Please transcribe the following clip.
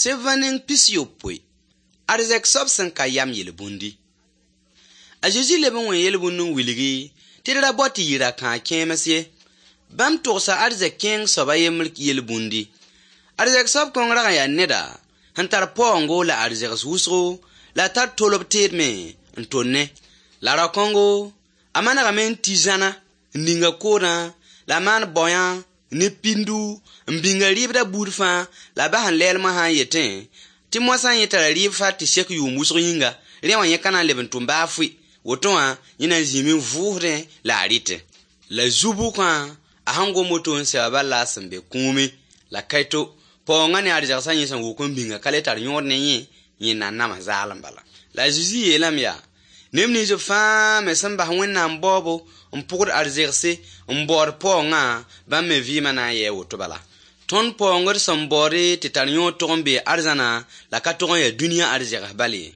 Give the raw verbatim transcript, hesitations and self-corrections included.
Sẽn neng pis-yopoe arzɛk soab sẽn ka yam yel-bũndi. A Zezi leb n wẽ yel-bũnd n wilgi tɩ d ra bao tɩ yɩ ra-kãag kẽems ye. Bãmb togsa arzɛk kẽeng soab a yembr yel-bũndi. Arzɛk soab kõng rag n yaa neda sẽn tar paoongo la arzɛgs wʋsgo la a tar tolb teed me n tonnẽ. La ra-kõngo, a manegame n tɩ zãna n ning a koodã la a maan baoyã ne pindu n bĩnga rɩɩbda buud fãa la a bas n lɛɛl moasã n yetẽ tɩ moasã yẽ tara rɩɩb fa tɩ sek yʋʋm wʋsg yĩnga, rẽ wã yẽ ka na n leb n tʋm baa fʋɩ. Woto wã yẽ na n zĩime n vʋʋsdẽ la a rɩtẽ. La zu-bʋkã a sẽn gom woto n sɛ wã bal la a sẽn be kũumi la kaito paoongã ne arzɛgsã yẽ sẽn wʋk n bĩnga ka le tar yõod ne yẽ, yẽ na n nams zaalem bala. La a Zezi yeelame yaa, neb nins fãa me sẽn bas Wẽnnaam baoobo n pʋgd arzegse n baood paoongã, bãmb me vɩɩmã na n yɩ a woto bala. Tõnd paoongd sẽn baoode tɩ tar yõod tog n bee arzãna la ka tog n yaa dũniyã arzegs bal ye.